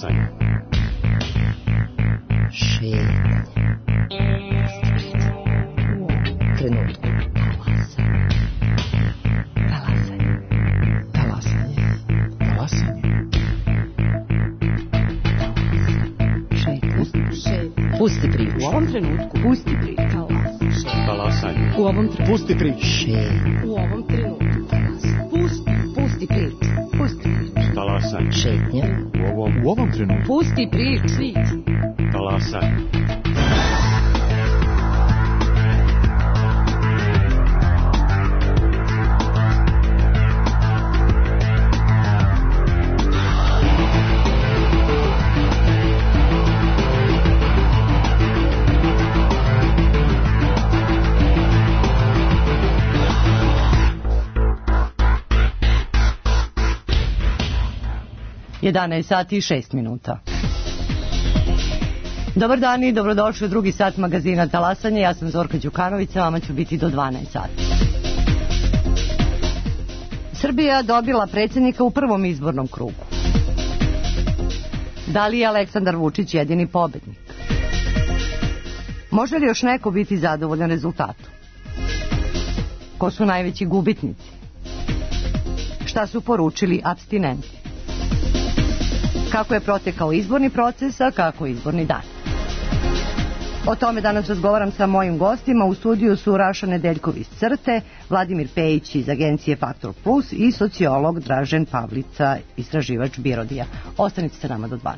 Talasanje. Šetnje. Trenutku. Talasanje. Talasanje. Talasanje. Šetnje. Pusti priču. U ovom trenutku. Pusti priču. Talasanje. U ovom trenutku. Pusti priču. Šetnje. U ovom trenutku. Pusti priču. Pusti priču. Talasanje. Šetnje. U ovom trenutku. Pusti priču. Talasanje. Jedanaest sati i 6 minuta. Dobar dan i dobrodošli u drugi sat magazina Talasanje. Ja sam Zorka Đukanović, sa vama ću biti do 12 sati. Srbija dobila predsjednika u prvom izbornom krugu. Da li je Aleksandar Vučić jedini pobednik? Može li još neko biti zadovoljan rezultatom? Ko su najveći gubitnici? Šta su poručili apstinenti? Kako je protekao izborni proces, a kako izborni dan? O tome danas razgovaram sa mojim gostima. U studiju su Raša Nedeljkov iz CRTE, Vladimir Pejić iz agencije Faktor Plus i sociolog Dražen Pavlica, istraživač Birodija. Ostanite sa nama do 12.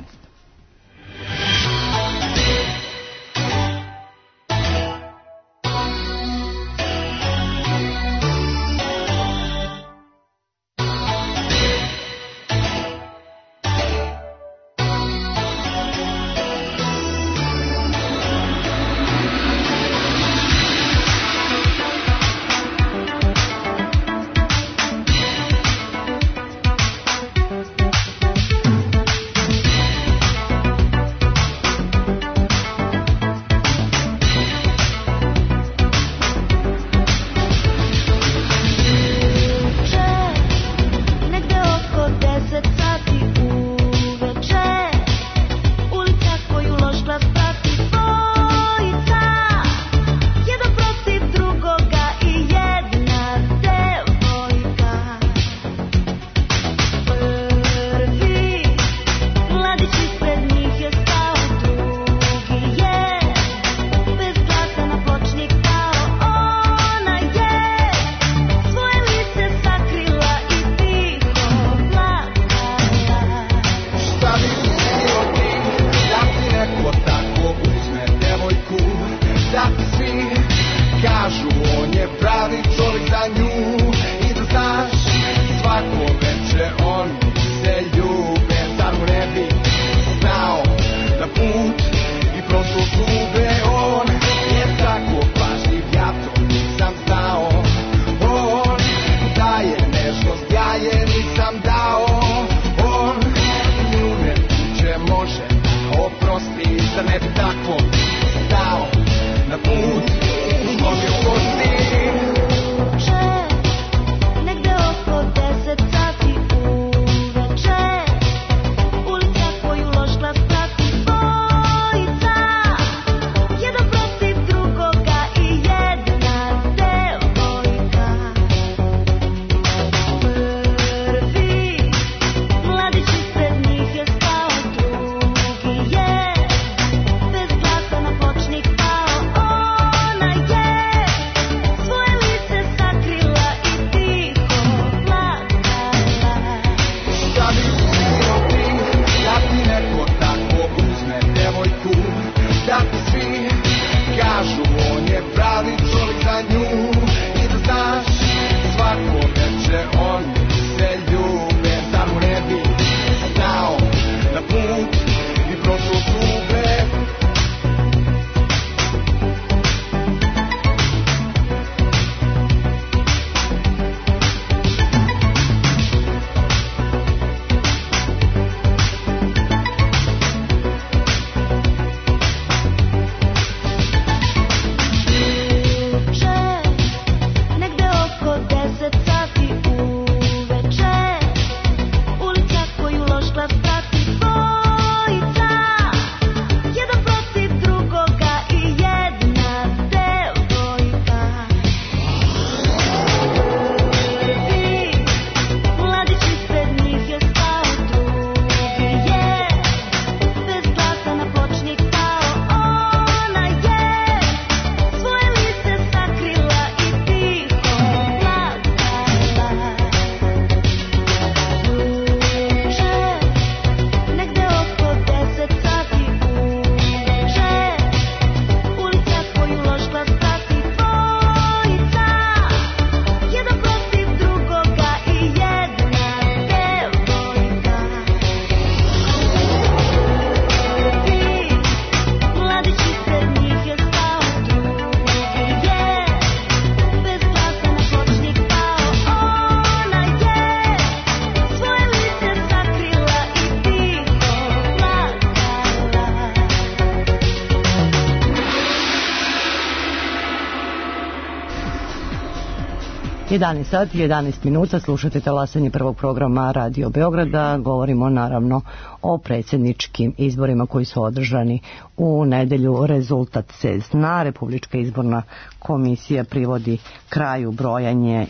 11 sati, 11 minuta, slušate talasanje prvog programa Radio Beograda. Govorimo naravno o predsjedničkim izborima koji su održani u nedelju. Rezultat se zna, Republička izborna komisija privodi kraju brojanje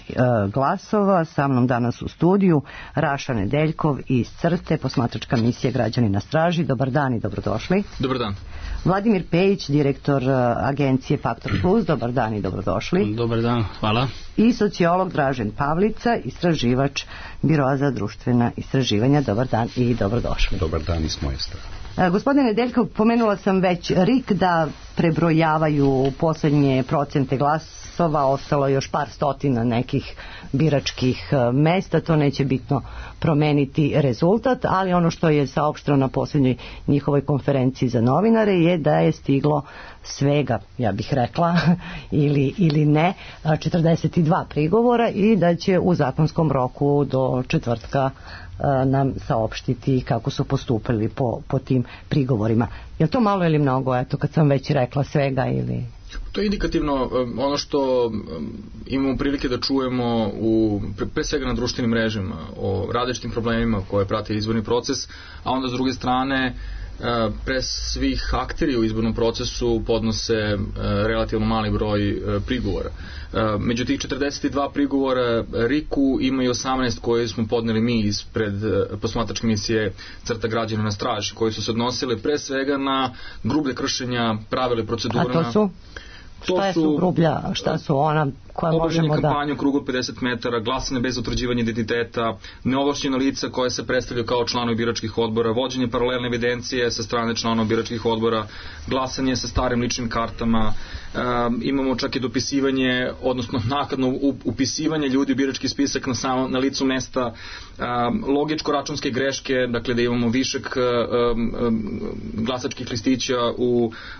glasova. Sa mnom danas u studiju Raša Nedeljkov iz CRTE, posmatračka misija Građani na straži. Dobar dan i dobrodošli. Dobar dan. Vladimir Pejić, direktor agencije Faktor Plus. Dobar dan i dobrodošli. Dobar dan, hvala. I sociolog Dražen Pavlica, istraživač Biroa za društvena istraživanja. Dobar dan i dobrodošli. Dobar dan i s moje strane. Gospodine Nedeljkov, pomenula sam već RIK da prebrojavaju posljednje procente glasova, ostalo još par stotina nekih biračkih mesta, to neće bitno promeniti rezultat, ali ono što je saopšteno na posljednjoj njihovoj konferenciji za novinare je da je stiglo svega, ja bih rekla, ili ne, 42 prigovora i da će u zakonskom roku do četvrtka nam saopštiti kako su postupili po tim prigovorima. Je li to malo ili mnogo, eto, kad sam već rekla svega ili... To je indikativno ono što imamo prilike da čujemo pre svega na društvenim mrežama o različitim problemima koje prate izborni proces, a onda s druge strane pre svih akteri u izbornom procesu podnose relativno mali broj prigovora. Među tih 42 prigovora RIK-u ima i 18 koje smo podneli mi ispred posmatračke misije CRTA Građana na straži, koji su se odnosili pre svega na grublje kršenja pravila i procedura. A to su? Šta su grublja, šta su ona koja možemo da... kampanje u krugu 50 metara, glasanje bez utvrđivanja identiteta, neovlašćena lica koje se predstavljaju kao članovi biračkih odbora, vođenje paralelne evidencije sa strane članova biračkih odbora, glasanje sa starim ličnim kartama, imamo čak i dopisivanje, odnosno naknadno upisivanje ljudi u birački spisak na licu mesta, logičko-računske greške, dakle da imamo višak glasačkih listića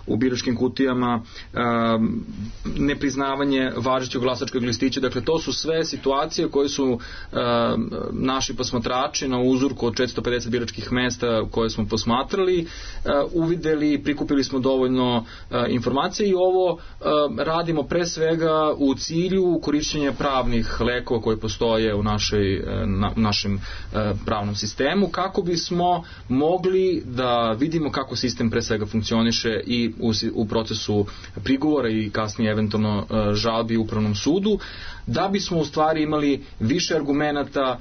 u biračkim kutijama, nepriznavanje važećeg glasačkog listića, dakle to su sve situacije koje su naši posmatrači na uzorku od 450 biračkih mesta koje smo posmatrali uvideli, prikupili smo dovoljno informacije i ovo radimo pre svega u cilju korišćenja pravnih lekova koje postoje u našem pravnom sistemu, kako bismo mogli da vidimo kako sistem pre svega funkcioniše i u procesu prigovora i kasnije eventualno žalbi u upravnom sudu, da bismo u stvari imali više argumenata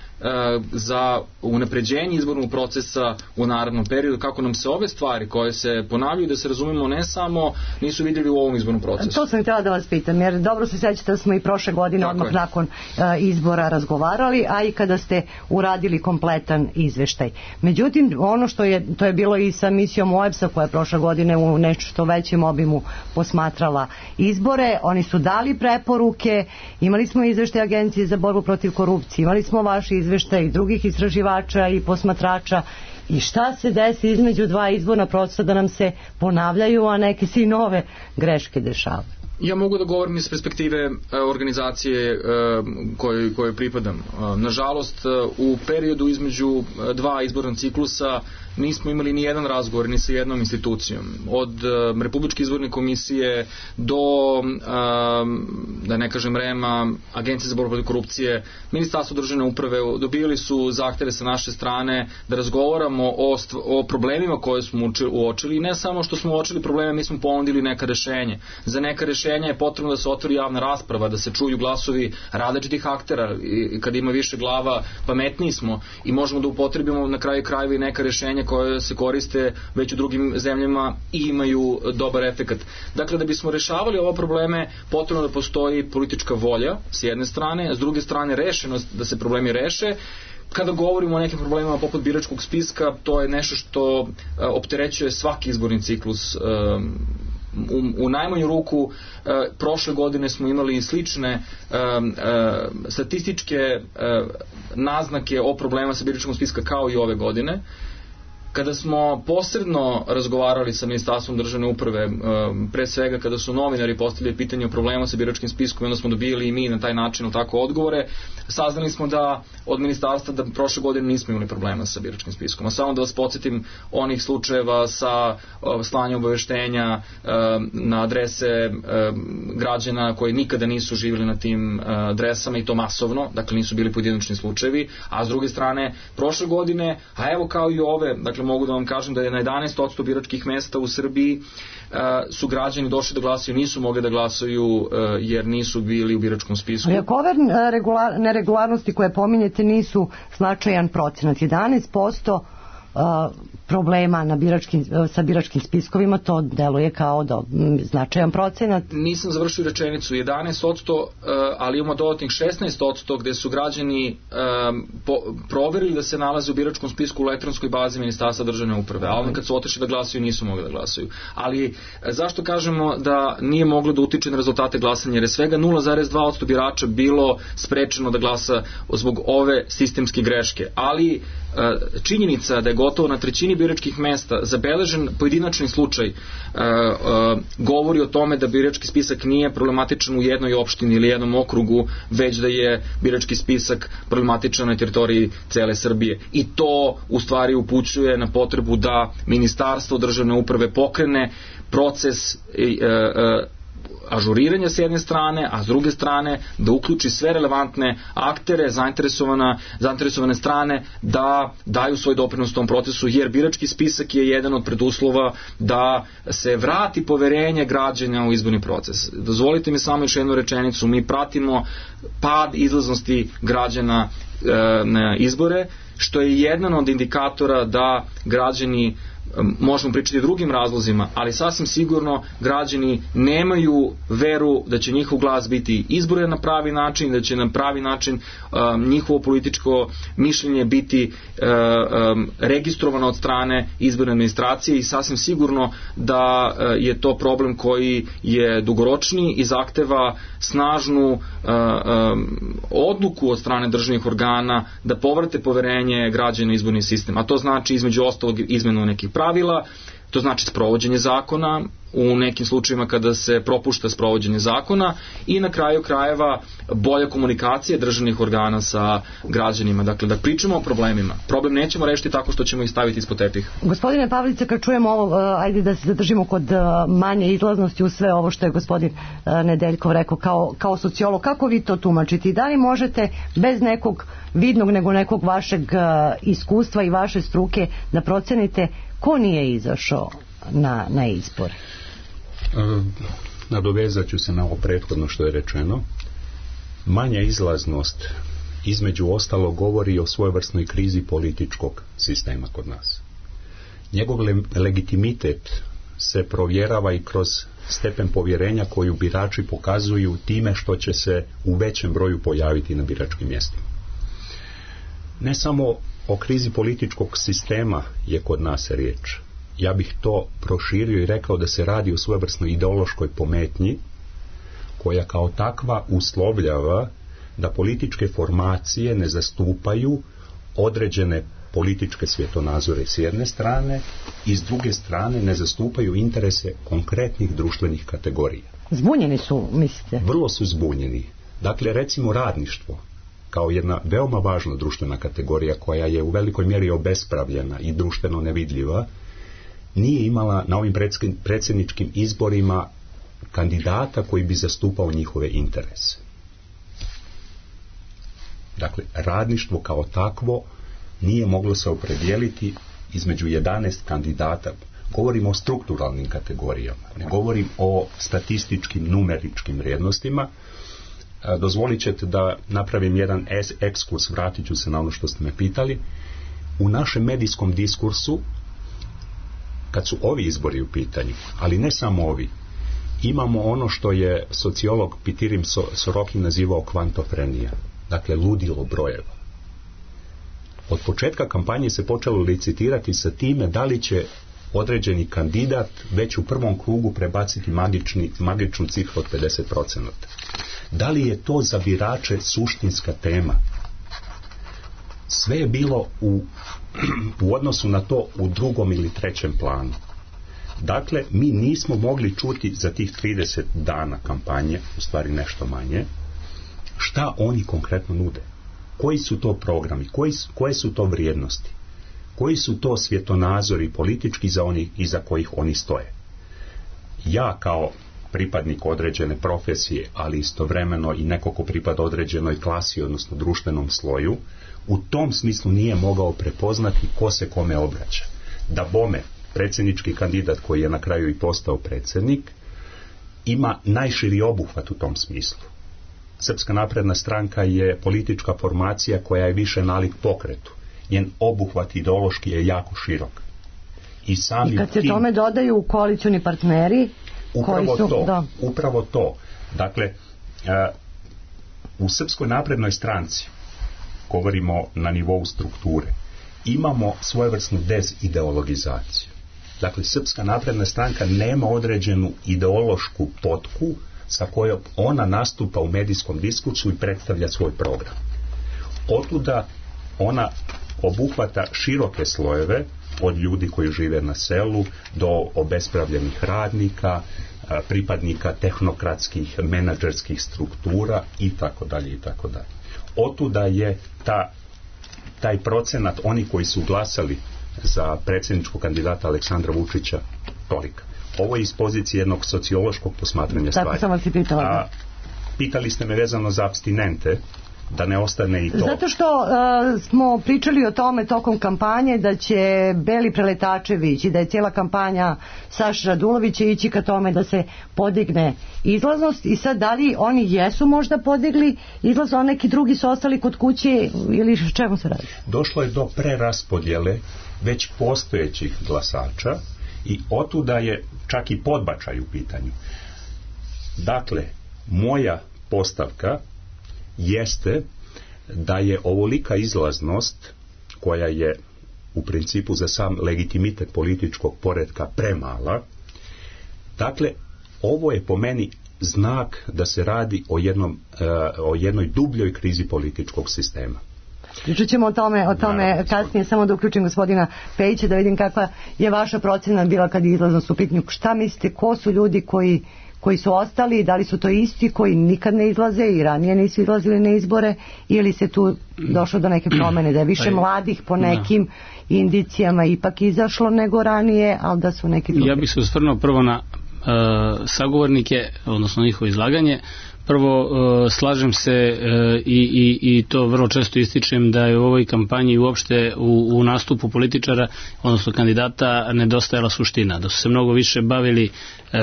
za unapređenje izbornog procesa u narednom periodu, kako nam se ove stvari koje se ponavljaju, da se razumemo, nisu vidjeli u ovom izbornom procesu. To sam htjela da vas pitam, jer dobro se sjećate da smo i prošle godine odmah nakon izbora razgovarali, a i kada ste uradili kompletan izveštaj. Međutim, ono to je bilo i sa misijom OEBS-a koja je prošle godine u nešto većem obimu posmatrala izbore, oni su dali preporuke, imali smo izveštaj Agencije za borbu protiv korupcije, imali smo vaše izveštaje i drugih istraživača i posmatrača. I šta se desi između dva izborna procesa da nam se ponavljaju, a neke se i nove greške dešavaju? Ja mogu da govorim iz perspektive organizacije kojoj pripadam. Nažalost, u periodu između dva izborna ciklusa nismo imali ni jedan razgovor ni sa jednom institucijom. Od Republičke izborne komisije do, da ne kažem REM-a, Agencije za borbu protiv korupcije, Ministarstvo državne uprave, dobili su zahteve sa naše strane da razgovaramo o problemima koje smo uočili i ne samo što smo uočili probleme, mi smo ponudili neka rešenje. Za neka rešenja je potrebno da se otvori javna rasprava, da se čuju glasovi različitih aktera i kad ima više glava pametniji smo i možemo da upotrebimo na kraju krajeva i neka rešenja koje se koriste već u drugim zemljama i imaju dobar efekat. Dakle, da bismo rešavali ove probleme, potrebno da postoji politička volja s jedne strane, a s druge strane rešenost da se problemi reše. Kada govorimo o nekim problemima poput biračkog spiska, to je nešto što opterećuje svaki izborni ciklus. U najmanju ruku prošle godine smo imali slične statističke naznake o problema sa biračkom spiska kao i ove godine. Kada smo posredno razgovarali sa Ministarstvom državne uprave, pre svega kada su novinari postavili pitanje o problemu sa biračkim spiskom, onda smo dobili i mi na taj način tako odgovore, saznali smo da od ministarstva da prošle godine nismo imali problema sa biračkim spiskom. A samo da vas podsjetim onih slučajeva sa slanjem obaveštenja na adrese građana koji nikada nisu živjeli na tim adresama i to masovno, dakle nisu bili pojedinačni slučajevi, a s druge strane prošle godine, a evo kao i ove, dakle mogu da vam kažem da je na 11% biračkih mesta u Srbiji su građani došli da glasaju, nisu mogli da glasaju jer nisu bili u biračkom spisku. Ali ako ove neregularnosti koje pominjete nisu značajan procenat, 11% problema sa biračkim spiskovima, to deluje kao značajan procenat. Nisam završio rečenicu, 11%, ali imamo dodatnih 16% gde su građani proverili da se nalaze u biračkom spisku u elektronskoj bazi Ministarstva državne uprave, a onda kad su otišli da glasaju nisu mogli da glasaju. Ali zašto kažemo da nije moglo da utiče na rezultate glasanja? Jer je svega 0,2% birača bilo sprečeno da glasa zbog ove sistemske greške, ali činjenica da je gotovo na trećini biračkih mesta zabeležen pojedinačni slučaj govori o tome da birački spisak nije problematičan u jednoj opštini ili jednom okrugu, već da je birački spisak problematičan na teritoriji cele Srbije. I to u stvari upućuje na potrebu da Ministarstvo državne uprave pokrene proces ažuriranja s jedne strane, a s druge strane da uključi sve relevantne aktere, zainteresovane strane da daju svoj doprinos tom procesu, jer birački spisak je jedan od preduslova da se vrati poverenje građana u izborni proces. Dozvolite mi samo još jednu rečenicu, mi pratimo pad izlaznosti građana na izbore, što je jedan od indikatora da građani, možemo pričati o drugim razlozima, ali sasvim sigurno građani nemaju veru da će njihov glas biti izboren na pravi način, da će na pravi način njihovo političko mišljenje biti registrovano od strane izborne administracije i sasvim sigurno da je to problem koji je dugoročni i zahteva snažnu odluku od strane državnih organa da povrate poverenje građana u izborni sistem. A to znači između ostalog izmenu nekih pravila, to znači sprovođenje zakona u nekim slučajevima kada se propušta sprovođenje zakona i na kraju krajeva bolja komunikacija državnih organa sa građanima. Dakle, da pričamo o problemima. Problem nećemo rešiti tako što ćemo ih staviti ispod tepih. Gospodine Pavlice, kad čujemo ovo, ajde da se zadržimo kod manje izlaznosti u sve ovo što je gospodin Nedeljkov rekao kao sociolog, kako vi to tumačite? I da li možete bez nekog vidnog nego nekog vašeg iskustva i vaše struke da procenite ko nije izašao na izbor? Nadovezat ću se na ovo prethodno što je rečeno. Manja izlaznost između ostalo govori o svojevrsnoj krizi političkog sistema kod nas. Njegov legitimitet se provjerava i kroz stepen povjerenja koju birači pokazuju time što će se u većem broju pojaviti na biračkim mjestima. Ne samo o krizi političkog sistema je kod nas riječ. Ja bih to proširio i rekao da se radi o svojevrsnoj ideološkoj pometnji koja kao takva uslovljava da političke formacije ne zastupaju određene političke svjetonazore s jedne strane i s druge strane ne zastupaju interese konkretnih društvenih kategorija. Zbunjeni su, mislite? Vrlo su zbunjeni. Dakle, recimo radništvo kao jedna veoma važna društvena kategorija koja je u velikoj mjeri obespravljena i društveno nevidljiva, nije imala na ovim predsjedničkim izborima kandidata koji bi zastupao njihove interese. Dakle, radništvo kao takvo nije moglo se opredijeliti između 11 kandidata. Govorim o strukturalnim kategorijama, ne govorim o statističkim, numeričkim vrijednostima. Dozvolit ćete da napravim jedan ekskurs, vratit ću se na ono što ste me pitali. U našem medijskom diskursu, kad su ovi izbori u pitanju, ali ne samo ovi, imamo ono što je sociolog Pitirim Sorokin nazivao kvantofrenija, dakle ludilo brojeva. Od početka kampanje se počelo licitirati sa time da li će određeni kandidat već u prvom krugu prebaciti magičnu cifru od 50%. Da li je to za birače suštinska tema? Sve je bilo u odnosu na to u drugom ili trećem planu. Dakle, mi nismo mogli čuti za tih 30 dana kampanje, u stvari nešto manje, šta oni konkretno nude. koji su to programi, koje su to vrijednosti, koji su to svjetonazori politički iza kojih oni stoje. Ja kao pripadnik određene profesije, ali istovremeno i neko ko pripada određenoj klasi, odnosno društvenom sloju, u tom smislu nije mogao prepoznati ko se kome obraća. Da bome, predsjednički kandidat koji je na kraju i postao predsjednik, ima najširi obuhvat u tom smislu. Srpska napredna stranka je politička formacija koja je više nalik pokretu. Njen obuhvat ideološki je jako širok. I kad se tome dodaju koalicioni partneri, upravo to. Dakle, u Srpskoj naprednoj stranci, govorimo na nivou strukture, imamo svojevrsnu dezideologizaciju. Dakle, Srpska napredna stranka nema određenu ideološku potku sa kojom ona nastupa u medijskom diskursu i predstavlja svoj program. Otuda ona obuhvata široke slojeve, od ljudi koji žive na selu do obespravljenih radnika, pripadnika tehnokratskih, menadžerskih struktura i tako dalje. Otuda je taj procenat, oni koji su glasali za predsjedničkog kandidata Aleksandra Vučića, tolika. Ovo je iz pozicije jednog sociološkog posmatranja stvari. Tako sam vas i pitala. Pitali ste me vezano za apstinente, da ne ostane i to. Zato što smo pričali o tome tokom kampanje da će Beli Preletačević i da je cijela kampanja Saše Radulovića ići ka tome da se podigne izlaznost i sad da li oni jesu možda podigli izlaznost, a neki drugi su ostali kod kuće ili čemu se radi? Došlo je do preraspodjele već postojećih glasača i otuda je čak i podbačaj u pitanju. Dakle, moja postavka jeste da je ovolika izlaznost, koja je u principu za sam legitimitet političkog poretka premala. Dakle, ovo je po meni znak da se radi o jednoj dubljoj krizi političkog sistema. Pričat ćemo o tome kasnije, samo da uključim gospodina Pejića da vidim kakva je vaša procena bila kad je izlaznost u pitanju. Šta mislite, ko su ljudi koji su ostali, da li su to isti koji nikad ne izlaze i ranije nisu izlazili na izbore, ili se tu došlo do neke promjene, da je više mladih po nekim indicijama ipak izašlo nego ranije, ali da su neki drugi? Ja bih se osvrnuo prvo na sagovornike, odnosno njihovo izlaganje. Prvo, slažem se i to vrlo često ističem da je u ovoj kampanji uopšte u nastupu političara, odnosno kandidata, nedostajala suština. Da su se mnogo više bavili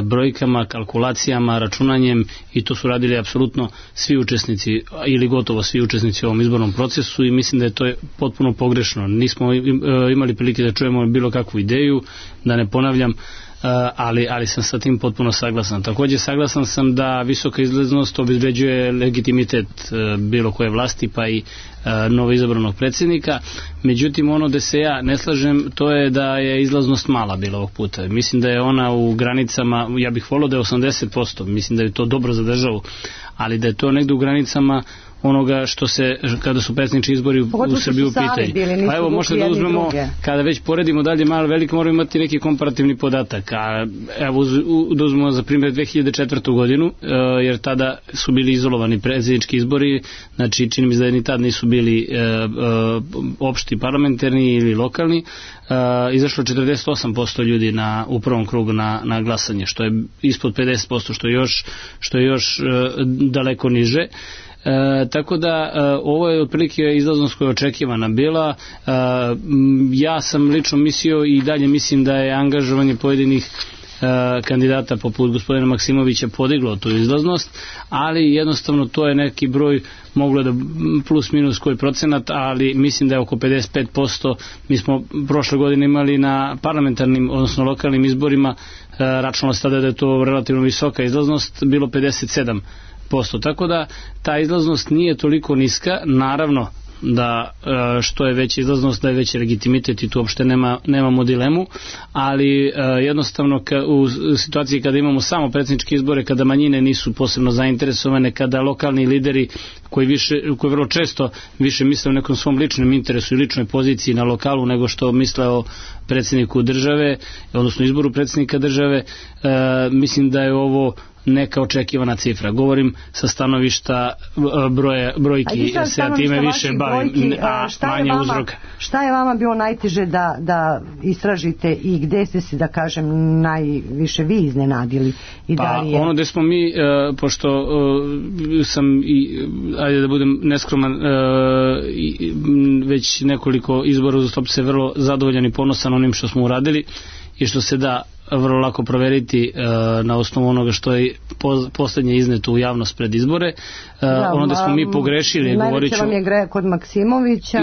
brojkama, kalkulacijama, računanjem i to su radili apsolutno svi učesnici ili gotovo svi učesnici u ovom izbornom procesu i mislim da je to potpuno pogrešno. Nismo imali prilike da čujemo bilo kakvu ideju, da ne ponavljam, ali sam sa tim potpuno saglasan. Također saglasan sam da visoka izlaznost obezbeđuje legitimitet bilo koje vlasti pa i novoizabranog predsjednika. Međutim, ono da se ja ne slažem, to je da je izlaznost mala bila ovog puta. Mislim da je ona u granicama, ja bih volio da je 80%, mislim da je to dobro za državu, ali da je to negdje u granicama onoga što se, kada su predsjednički izbori u Srbiji u pitanju. Pa evo, možete da uzmemo, kada već poredimo dalje malo veliko, moramo imati neki komparativni podatak. A evo, da uzmemo za primjer 2004. godinu, jer tada su bili izolovani predsjednički izbori, znači čini mi se da ni tad nisu bili opšti parlamentarni ili lokalni, izašlo 48% ljudi u prvom krugu na glasanje, što je ispod 50%, što je još daleko niže. Tako da ovo je otprilike izlaznost koja je očekivana bila. Ja sam lično mislio i dalje mislim da je angažovanje pojedinih kandidata poput gospodina Maksimovića podiglo tu izlaznost, ali jednostavno to je neki broj, moglo da plus minus koji procenat, ali mislim da je oko 55%. Mi smo prošle godine imali na parlamentarnim, odnosno lokalnim izborima, računalo se tada da je to relativno visoka izlaznost, bilo 57%. Tako da ta izlaznost nije toliko niska, naravno da što je veća izlaznost da je veći legitimitet i tu uopšte nemamo dilemu, ali jednostavno u situaciji kada imamo samo predsjedničke izbore, kada manjine nisu posebno zainteresovane, kada lokalni lideri koji vrlo često više misle o nekom svom ličnom interesu i ličnoj poziciji na lokalu nego što misle o predsjedniku države, odnosno izboru predsjednika države, mislim da je ovo neka očekivana cifra. Govorim sa stanovišta brojki, se time više bavim, a manje uzroka. Šta je vama bilo najteže da istražite i gde ste se, da kažem, najviše vi iznenadili? Ono gde smo mi, pošto sam, ajde da budem neskroman, već nekoliko izbora uzastopno se vrlo zadovoljan i ponosan onim što smo uradili i što se da vrlo lako proveriti na osnovu onoga što je poslednje izneto u javnost pred izbore. Ono da smo mi pogrešili, govorit ću... Najveće vam je kod Maksimovića?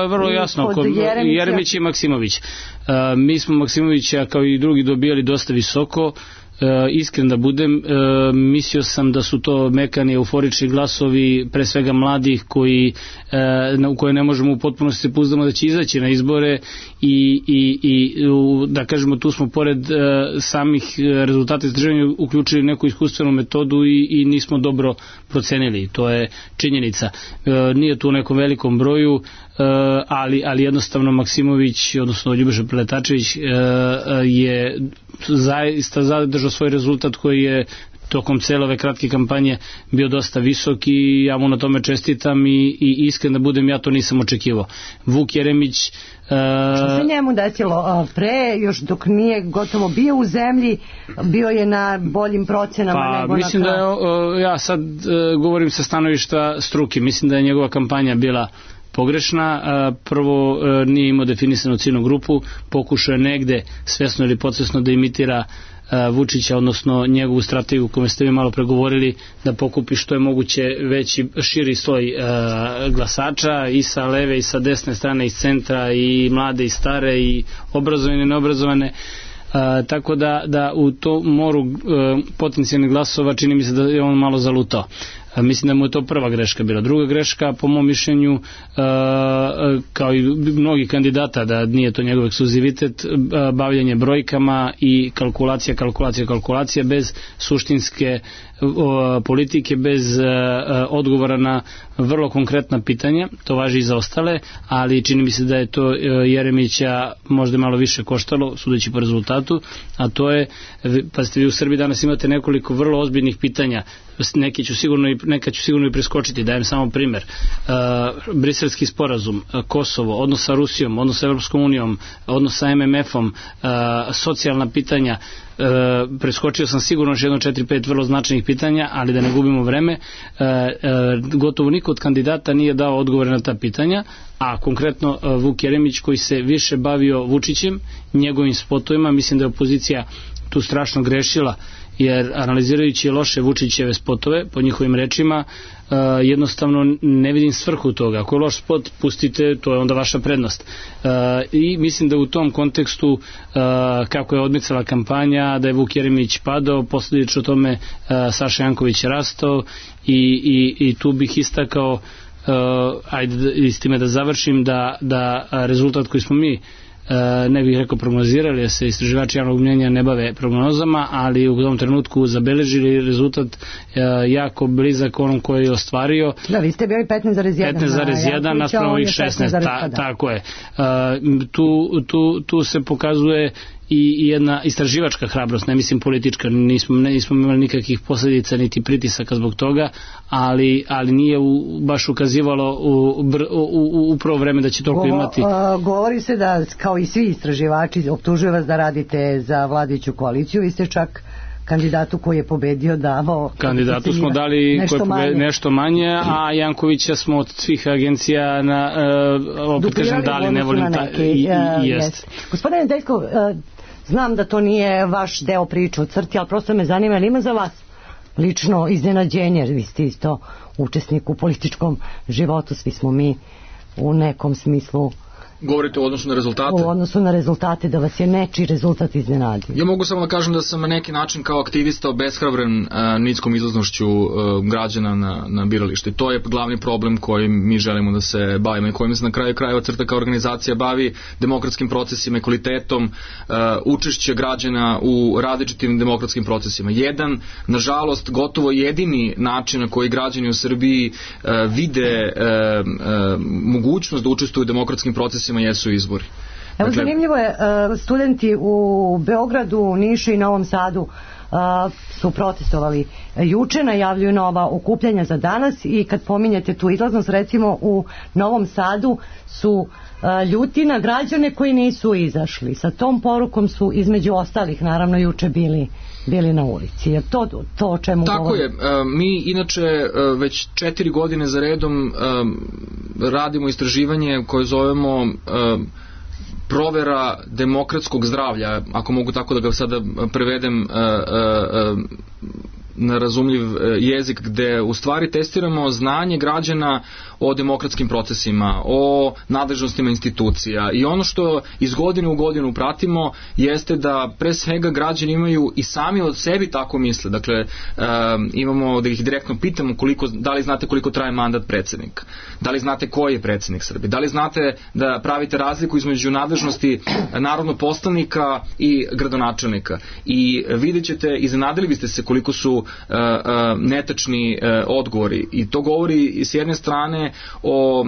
Vrlo jasno, kod Jeremić i Maksimović. Mi smo Maksimovića kao i drugi dobijali dosta visoko. Iskren da budem, mislio sam da su to mekani euforični glasovi, pre svega mladih u koje ne možemo u potpunosti se pouzdamo da će izaći na izbore i da kažemo tu smo pored samih rezultata istraživanja uključili neku iskustvenu metodu i nismo dobro procenili, to je činjenica. Nije tu u nekom velikom broju, ali jednostavno Maksimović, odnosno Ljubiša Preletačević je zaista zadržao svoj rezultat koji je tokom cele ove kratke kampanje bio dosta visok i ja mu na tome čestitam i iskren da budem, ja to nisam očekivao. Vuk Jeremić... Što se njemu desilo pre, još dok nije gotovo bio u zemlji, bio je na boljim procenama nego na mislim da ja sad govorim sa stanovišta struke, mislim da je njegova kampanja bila pogrešna. Prvo, nije imao definisanu ciljnu grupu, pokušao je negde svesno ili podsvesno da imitira Vučića, odnosno njegovu strategiju koju ste vi malo pregovorili, da pokupi što je moguće veći, širi sloj glasača i sa leve i sa desne strane, iz centra, i mlade i stare, i obrazovane i neobrazovane. Tako da u to moru potencijalnih glasova čini mi se da je on malo zalutao. Mislim da mu je to prva greška bila. Druga greška, po mom mišljenju, kao i mnogi kandidata, da nije to njegov ekskluzivitet, bavljanje brojkama i kalkulacija bez suštinske politike, bez odgovora na vrlo konkretna pitanja. To važi i za ostale, ali čini mi se da je to Jeremića možda malo više koštalo, sudeći po rezultatu, a to je, pa ste vi u Srbiji danas imate nekoliko vrlo ozbiljnih pitanja, neka ću sigurno i preskočiti, dajem samo primer. Briselski sporazum, Kosovo, odnos sa Rusijom, odnos sa Evropskom unijom, odnos sa MMF-om, socijalna pitanja. Preskočio sam sigurno još 4-5 vrlo značajnih pitanja, ali da ne gubimo vreme, gotovo niko od kandidata nije dao odgovore na ta pitanja, a konkretno Vuk Jeremić, koji se više bavio Vučićem, njegovim spotovima, mislim da je opozicija tu strašno grešila, jer analizirajući loše Vučićeve spotove, po njihovim rečima, jednostavno ne vidim svrhu toga. Ako je loš spot, pustite, to je onda vaša prednost. I mislim da u tom kontekstu, kako je odmicala kampanja, da je Vuk Jeremić padao, posljedično tome Saša Janković rastao i tu bih istakao, ajde s time da završim, da rezultat koji smo mi, ne bih rekao prognozirali, jer se istraživači javnog mnjenja ne bave prognozama, ali u tom trenutku zabeležili rezultat jako blizak onom koji je ostvario. Da, vi ste bili 15,1 naspram ovih 16, tako je. Tu se pokazuje i jedna istraživačka hrabrost, ne mislim politička, nismo imali nikakvih posljedica niti pritisaka zbog toga, ali nije baš ukazivalo u prvo vreme da će toliko imati. Govori se da, kao i svi istraživači, optužuju vas da radite za vladajuću koaliciju, vi ste čak kandidatu koji je pobedio davao... Kandidatu smo dali nešto manje, a Jankovića smo od svih agencija opet kažem dali, ne volim jest. Gospodine Nedeljkov, znam da to nije vaš deo priče o CRTI, ali prosto me zanima, ali ima za vas lično iznenađenje, jer vi ste isto učesnik u političkom životu, svi smo mi u nekom smislu. Govorite u odnosu na rezultate? U odnosu na rezultate, da vas je nečiji rezultat iznenadio. Ja mogu samo da kažem da sam na neki način kao aktivista obeshrabren niskom izlaznošću građana na biralište. To je glavni problem kojim mi želimo da se bavimo i kojim se na kraju krajeva CRTA kao organizacija bavi, demokratskim procesima i kvalitetom učešća građana u različitim demokratskim procesima. Jedan, nažalost, gotovo jedini način na koji građani u Srbiji vide mogućnost da učestvuju u demokratskim procesima jesu izbori. Evo, zanimljivo je, studenti u Beogradu, Nišu i Novom Sadu su protestovali juče, najavljuju nova okupljanja za danas i kad pominjete tu izlaznost, recimo u Novom Sadu su ljuti na građane koji nisu izašli. Sa tom porukom su između ostalih naravno juče bili na ulici. Je to o čemu Tako govorim? je. Mi inače već 4 godine za redom radimo istraživanje koje zovemo provera demokratskog zdravlja, ako mogu tako da ga sada prevedem na razumljiv jezik, gde u stvari testiramo znanje građana o demokratskim procesima, o nadležnostima institucija, i ono što iz godine u godinu pratimo jeste da pre svega građani imaju i sami od sebi tako misle. Dakle, imamo da ih direktno pitamo da li znate koliko traje mandat predsjednika, da li znate koji je predsjednik Srbije, da li znate da pravite razliku između nadležnosti narodnog poslanika i gradonačelnika, i vidjet ćete, iznenadili biste se koliko su netačni odgovori, i to govori s jedne strane o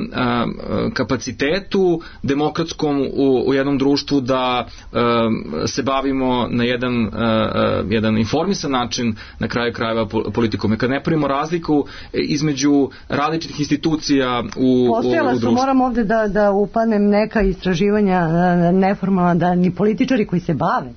kapacitetu demokratskom u jednom društvu da se bavimo na jedan informisan način, na kraju krajeva, politikom. Kad ne pravimo razliku između različitih institucija u društvu. Moram ovde da upadnem neka istraživanja neformalna, da ni političari koji se bave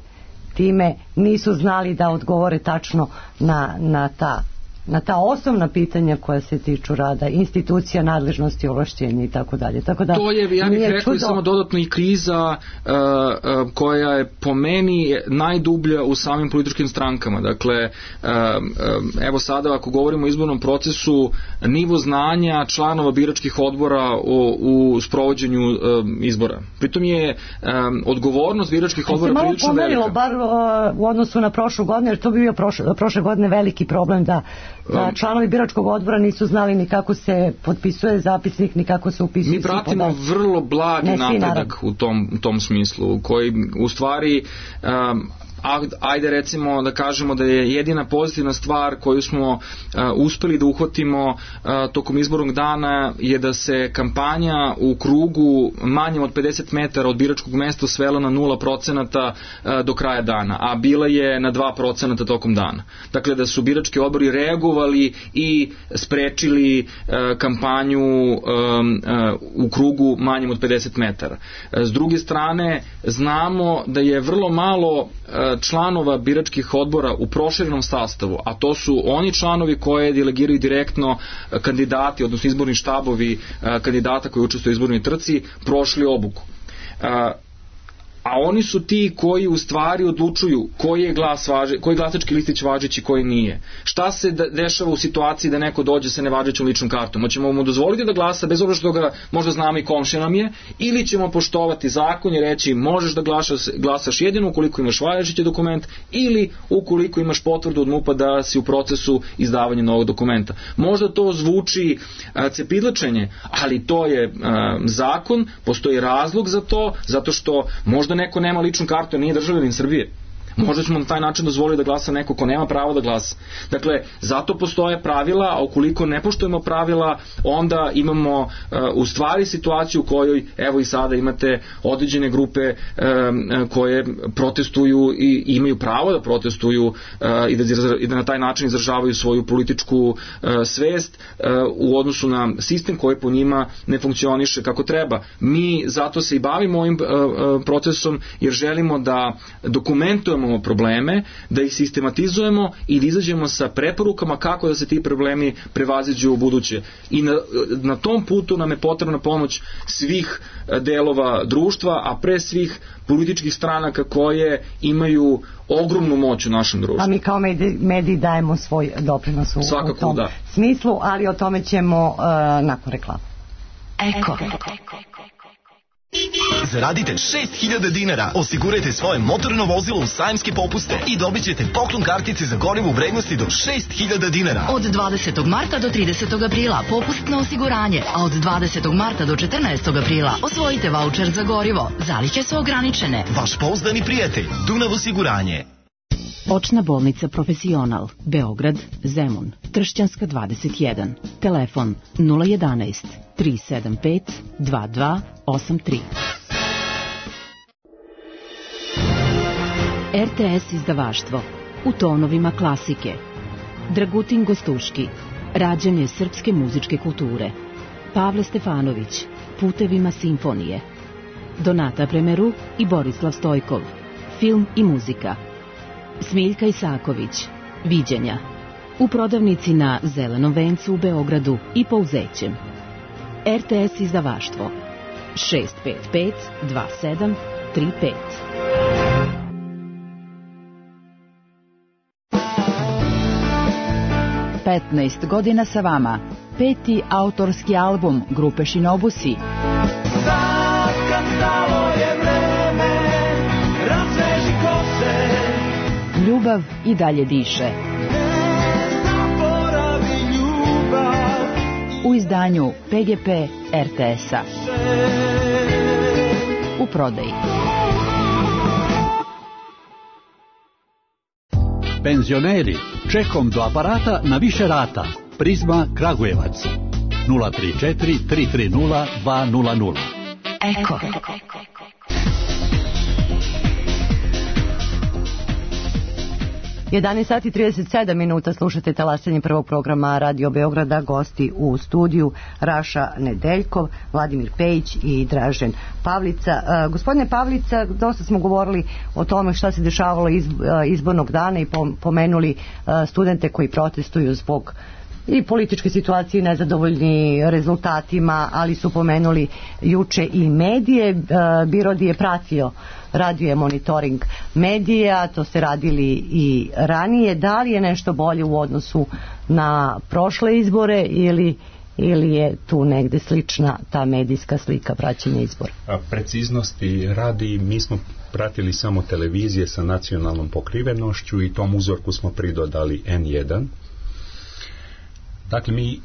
time nisu znali da odgovore tačno na ta osnovna pitanja koja se tiču rada institucija, nadležnosti, ovlašćenja i tako dalje. To je, ja bih rekao, samo dodatno i kriza koja je po meni najdublja u samim političkim strankama. Dakle, evo sada ako govorimo o izbornom procesu, nivo znanja članova biračkih odbora u sprovođenju izbora. Pritom je odgovornost biračkih odbora prilično velika. Se malo pomerilo, bar u odnosu na prošlu godinu, jer to bi bio prošle godine veliki problem da članovi biračkog odbora nisu znali ni kako se potpisuje zapisnik, ni kako se upisuju. Mi pratimo vrlo blagi napredak u tom smislu, koji u stvari ajde recimo da kažemo da je jedina pozitivna stvar koju smo uspeli da uhvatimo tokom izbornog dana je da se kampanja u krugu manjem od 50 metara od biračkog mesta svela na 0% do kraja dana, a bila je na 2% tokom dana. Dakle, da su birački odbori reagovali i sprečili kampanju u krugu manjem od 50 metara. S druge strane, znamo da je vrlo malo članova biračkih odbora u proširenom sastavu, a to su oni članovi koje delegiraju direktno kandidati, odnosno izborni štabovi kandidata koji učestvuju u izbornoj trci, prošli obuku. A oni su ti koji u stvari odlučuju koji je glasački listić važeći, koji nije. Šta se dešava u situaciji da neko dođe sa nevažećom ličnom kartom? Hoćemo mu dozvoliti da glasa bez obzira što ga možda znamo i komšija nam je, ili ćemo poštovati zakon i reći možeš da glasaš jedino ukoliko imaš važeći dokument ili ukoliko imaš potvrdu od MUP-a da si u procesu izdavanja novog dokumenta. Možda to zvuči cepidlačenje, ali to je zakon, postoji razlog za to, zato što možda neko nema ličnu kartu, nije državljanin Srbije. Možda ćemo na taj način dozvoliti da glasa neko ko nema pravo da glasa. Dakle, zato postoje pravila, a ukoliko ne poštujemo pravila, onda imamo u stvari situaciju u kojoj, evo i sada imate određene grupe koje protestuju i imaju pravo da protestuju i da na taj način izražavaju svoju političku svest u odnosu na sistem koji po njima ne funkcioniše kako treba. Mi zato se i bavimo ovim procesom jer želimo da dokumentujemo probleme, da ih sistematizujemo i da izađemo sa preporukama kako da se ti problemi prevaziđu u buduće. I na tom putu nam je potrebna pomoć svih delova društva, a pre svih političkih stranaka koje imaju ogromnu moć u našem društvu. A mi kao mediji dajemo svoj doprinos u tom smislu, ali o tome ćemo nakon reklama. Eko. Zaradite 6.000 dinara, osigurajte svoje motorno vozilo u sajamske popuste i dobit ćete poklon kartice za gorivo u vrednosti do 6.000 dinara. Od 20. marta do 30. aprila popustno osiguranje, a od 20. marta do 14. aprila osvojite vaučer za gorivo. Zalihe su ograničene. Vaš pouzdani prijatelj, Dunav osiguranje. Očna bolnica Profesional, Beograd, Zemun, Tršćanska 21, telefon 011 375 2283. RTS izdavaštvo u tonovima klasike. Dragutin Gostuški, rađanje srpske muzičke kulture. Pavle Stefanović, putevima simfonije. Donata Premeru i Borislav Stojkov, film i muzika. Smiljka Isaković, viđenja. U prodavnici na Zelenom vencu u Beogradu i Pouzećem. RTS izdavaštvo 655 2735. 15 godina sa vama. 5. autorski album grupe Shinobusi. Ljubav i dalje diše. U izdanju PGP RTS-a. U prodaji. Penzioneri, čekom do aparata na više rata. Prizma Kragujevac 034 330 200. Eko. 11 sati i 37 minuta, slušate talasanje prvog programa Radio Beograda. Gosti u studiju Raša Nedeljkov, Vladimir Pejić i Dražen Pavlica. Gospodine Pavlica, dosta smo govorili o tome šta se dešavalo izbornog dana i pomenuli studente koji protestuju zbog i političke situacije, nezadovoljni rezultatima, ali su pomenuli juče i medije. Birodi je pratio, radio je monitoring medija, to ste radili i ranije. Da li je nešto bolje u odnosu na prošle izbore ili je tu negde slična ta medijska slika praćenja izbora? Preciznosti radi, mi smo pratili samo televizije sa nacionalnom pokrivenošću i tom uzorku smo pridodali N1. Dakle, mi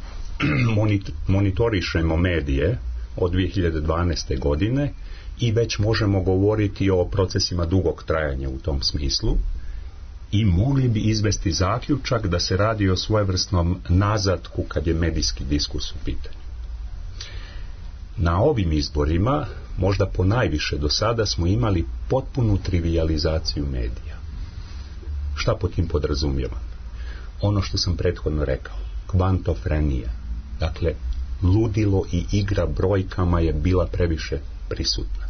monitorišemo medije od 2012. godine i već možemo govoriti o procesima dugog trajanja u tom smislu i mogli bi izvesti zaključak da se radi o svojevrsnom nazatku kad je medijski diskus u pitanju. Na ovim izborima, možda ponajviše do sada, smo imali potpunu trivijalizaciju medija. Šta pod tim podrazumijevam? Ono što sam prethodno rekao. Kvantofrenija. Dakle, ludilo i igra brojkama je bila previše prisutna.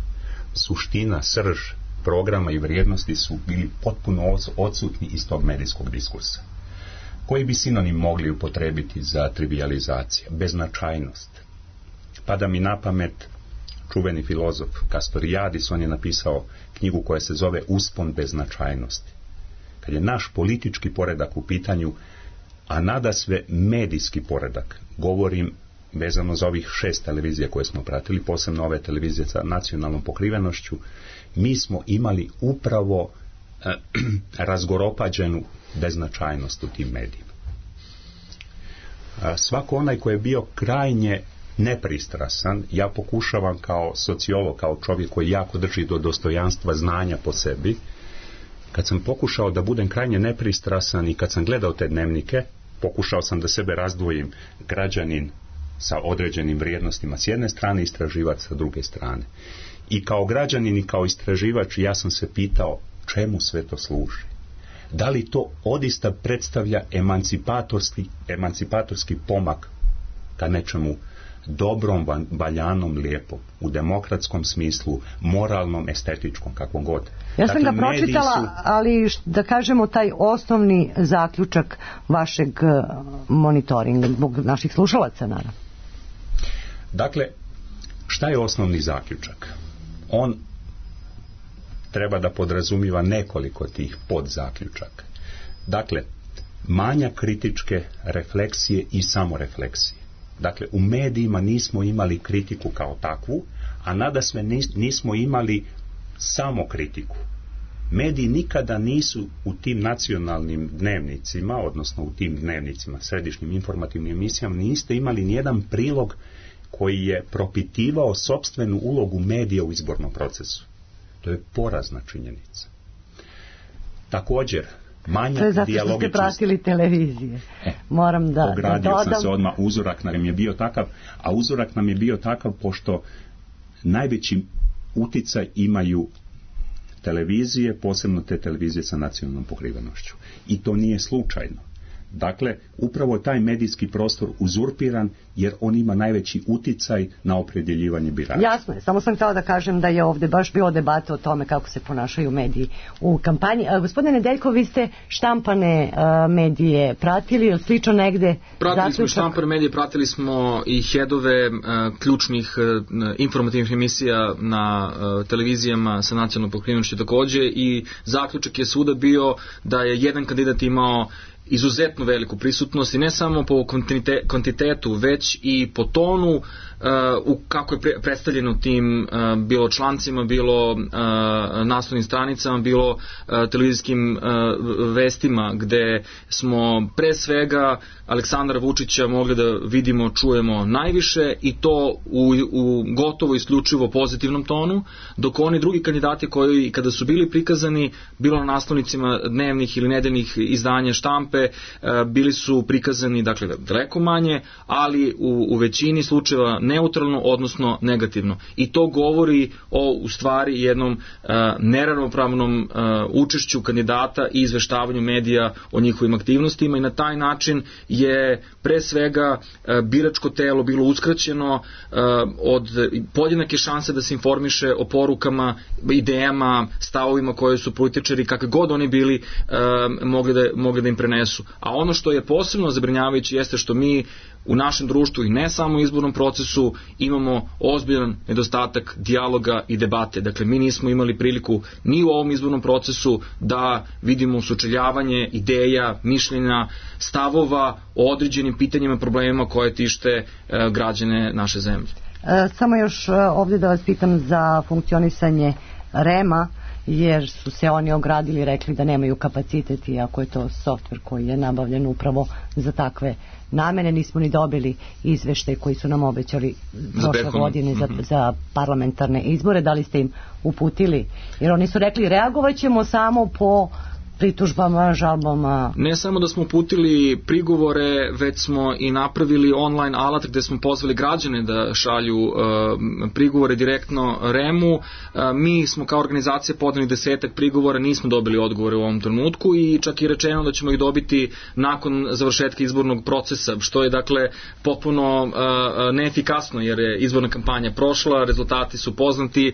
Suština, srž programa i vrijednosti su bili potpuno odsutni iz tog medijskog diskursa. Koji bi sinonim mogli upotrebiti za trivijalizaciju? Beznačajnost. Pada mi na pamet čuveni filozof Castoriadis, on je napisao knjigu koja se zove Uspon beznačajnosti. Kad je naš politički poredak u pitanju, a nadasve medijski poredak, govorim vezano za ovih 6 televizija koje smo pratili, posebno ove televizije sa nacionalnom pokrivenošću, mi smo imali upravo razgoropađenu beznačajnost u tim medijima. Svako onaj koji je bio krajnje nepristrasan, ja pokušavam kao sociolog, kao čovjek koji jako drži do dostojanstva znanja po sebi, kad sam pokušao da budem krajnje nepristrasan i kad sam gledao te dnevnike, pokušao sam da sebe razdvojim građanin sa određenim vrijednostima s jedne strane, istraživač sa druge strane. I kao građanin i kao istraživač ja sam se pitao čemu sve to služi. Da li to odista predstavlja emancipatorski pomak ka nečemu dobrom, valjanom, lijepom, u demokratskom smislu, moralnom, estetičkom, kakvom god. Ja sam ga pročitala, ali da kažemo taj osnovni zaključak vašeg monitoringa, zbog naših slušalaca, naravno. Dakle, šta je osnovni zaključak? On treba da podrazumiva nekoliko tih podzaključaka. Dakle, manja kritičke refleksije i samorefleksije. Dakle, u medijima nismo imali kritiku kao takvu, a nadasve nismo imali samo kritiku. Mediji nikada nisu u tim nacionalnim dnevnicima, odnosno u tim dnevnicima, središnjim informativnim emisijama, niste imali nijedan prilog koji je propitivao sopstvenu ulogu medija u izbornom procesu. To je porazna činjenica. Također, manja dijalogičnost. To je zato što ste pratili televizije. Moram da ogradio sam se odmah, uzorak nam je bio takav, a uzorak nam je bio takav pošto najveći uticaj imaju televizije, posebno te televizije sa nacionalnom pokrivenošću. I to nije slučajno. Dakle, upravo taj medijski prostor uzurpiran jer on ima najveći uticaj na opredjeljivanje birača. Jasno je, samo sam htjela da kažem da je ovdje baš bilo debata o tome kako se ponašaju mediji u kampanji. Gospodine Nedeljko, vi ste štampane medije pratili, ili slično negde? Pratili smo štampane medije, pratili smo i headove ključnih informativnih emisija na televizijama sa nacionalnom pokrivenošću takođe i zaključak je svuda bio da je jedan kandidat imao izuzetno veliku prisutnost i ne samo po kvantitetu, već i po tonu kako je predstavljeno tim bilo člancima, bilo naslovnim stranicama, bilo televizijskim vestima, gde smo pre svega Aleksandra Vučića mogli da vidimo, čujemo najviše i to u gotovo isključivo pozitivnom tonu, dok oni drugi kandidati koji kada su bili prikazani, bilo na naslovnicima dnevnih ili nedeljnih izdanja štampe, bili su prikazani dakle daleko manje, ali u većini slučajeva neutralno, odnosno negativno. I to govori o u stvari jednom neravnopravnom učešću kandidata i izveštavanju medija o njihovim aktivnostima i na taj način je pre svega biračko telo bilo uskraćeno od podjednake šanse da se informiše o porukama, idejama, stavovima koje su političari, kakve god oni bili, mogli da im prenesu. A ono što je posebno zabrinjavajuće jeste što mi u našem društvu i ne samo u izbornom procesu imamo ozbiljan nedostatak dijaloga i debate. Dakle, mi nismo imali priliku ni u ovom izbornom procesu da vidimo sučeljavanje ideja, mišljenja, stavova o određenim pitanjima i problemima koje tište građane naše zemlje. Samo još ovdje da vas pitam za funkcionisanje REM-a, jer su se oni ogradili i rekli da nemaju kapacitet, iako je to softver koji je nabavljen upravo za takve namene. Nismo ni dobili izveštaj koji su nam obećali prošle godine za parlamentarne izbore. Da li ste im uputili? Jer oni su rekli reagovat ćemo samo po pritužbama, žalbama. Ne samo da smo uputili prigovore, već smo i napravili online alat gde smo pozvali građane da šalju prigovore direktno REM-u. Mi smo kao organizacija podneli 10 prigovora, nismo dobili odgovore u ovom trenutku i čak i rečeno da ćemo ih dobiti nakon završetka izbornog procesa, što je dakle potpuno neefikasno jer je izborna kampanja prošla, rezultati su poznati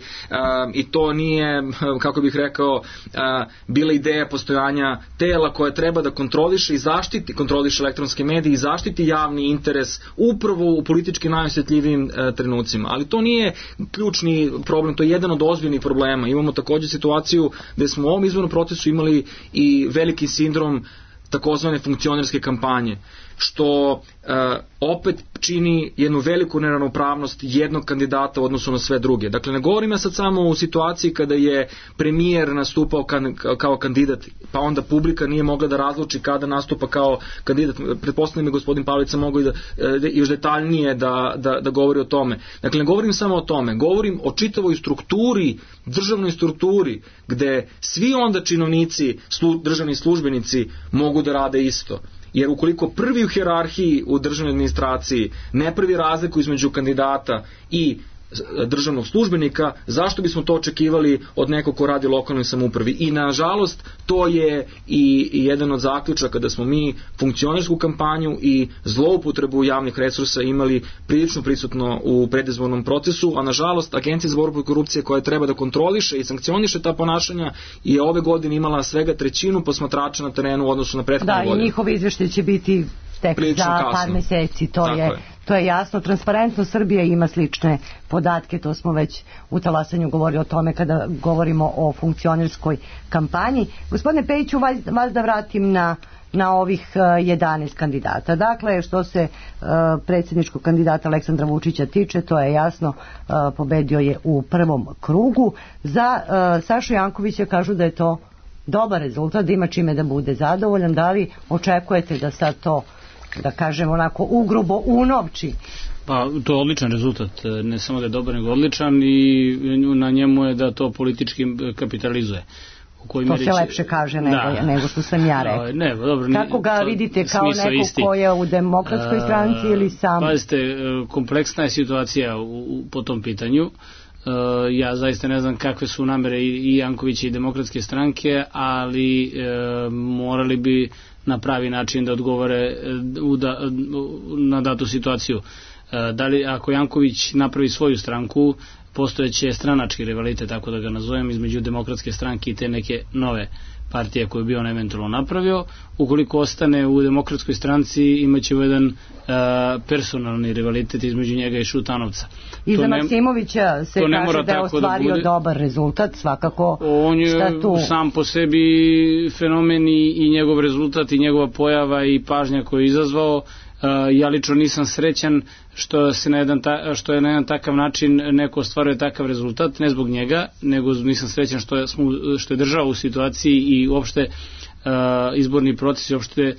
i to nije, kako bih rekao, bila ideja postojanja tela koje treba da kontroliše i kontroliše elektronske medije i zaštiti javni interes upravo u politički najosjetljivijim trenucima. Ali to nije ključni problem, to je jedan od ozbiljnih problema. Imamo također situaciju gde smo u ovom izbornom procesu imali i veliki sindrom takozvane funkcionerske kampanje, što opet čini jednu veliku neravnopravnost jednog kandidata u odnosu na sve druge. Dakle, ne govorim ja sad samo u situaciji kada je premijer nastupao kao kandidat, pa onda publika nije mogla da razluči kada nastupa kao kandidat. Pretpostavljam je gospodin Pavlica mogu i da još detaljnije da govori o tome. Dakle, ne govorim samo o tome, govorim o čitavoj strukturi, državnoj strukturi, gde svi onda činovnici, državni službenici mogu da rade isto. Jer ukoliko prvi u hijerarhiji u državnoj administraciji ne pravi razliku između kandidata i državnog službenika, zašto bismo to očekivali od nekog ko radi u lokalnoj samoupravi? I nažalost, to je i jedan od zaključaka da smo mi funkcionersku kampanju i zloupotrebu javnih resursa imali prilično prisutno u predizbornom procesu, a nažalost Agencija za borbu protiv korupcije koja treba da kontroliše i sankcioniše ta ponašanja je ove godine imala svega 1/3 posmatrača na terenu u odnosu na prethodnu godinu. Da, i njihovi izveštaji će biti tek za par meseci, to je jasno. Transparentno Srbija ima slične podatke, to smo već u talasanju govorili o tome kada govorimo o funkcionerskoj kampanji. Gospodine Pejiću, vas da vratim na ovih 11 kandidata. Dakle, što se predsjedničkog kandidata Aleksandra Vučića tiče, to je jasno, pobedio je u prvom krugu. Za Sašu Jankovića kažu da je to dobar rezultat, da ima čime da bude zadovoljan. Da li očekujete da sad to, da kažem onako ugrubo, unovči? Pa to je odličan rezultat, ne samo da je dobar nego odličan i na njemu je da to politički kapitalizuje. To se lepše kaže nego što sam ja rekao. Kako ga vidite, kao neko ko je u Demokratskoj stranci ili sam? Pazite, kompleksna je situacija po tom pitanju. Ja zaista ne znam kakve su namere i Jankovića i Demokratske stranke, ali morali bi na pravi način da odgovore na datu situaciju. Da li ako Janković napravi svoju stranku, postojeće stranački rivalitet, tako da ga nazovem, između Demokratske stranke i te neke nove partije koju bi on eventualno napravio. Ukoliko ostane u Demokratskoj stranci, imaće jedan personalni rivalitet između njega i Šutanovca. I za Maksimovića se kaže da je ostvario dobar rezultat, svakako. On je sam po sebi fenomen i njegov rezultat i njegova pojava i pažnja koju je izazvao. Ja lično nisam srećan što je na jedan takav način neko ostvaruje takav rezultat, ne zbog njega, nego nisam srećan što je država u situaciji i uopšte izborni proces i uopšte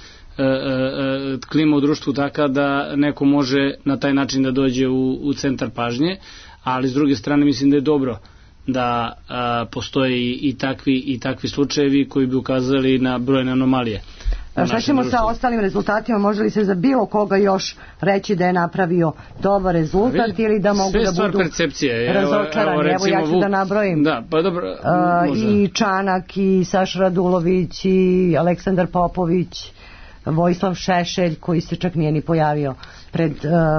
klima u društvu taka da neko može na taj način da dođe u centar pažnje, ali s druge strane mislim da je dobro da postoje i takvi slučajevi koji bi ukazali na brojne anomalije. Šta ćemo sa ostalim rezultatima? Može li se za bilo koga još reći da je napravio dobar rezultat ili da mogu da budu razočarani? Evo ja ću da nabrojim. Da, pa dobro, i Čanak, i Saša Radulović, i Aleksandar Popović, Vojislav Šešelj koji se čak nije ni pojavio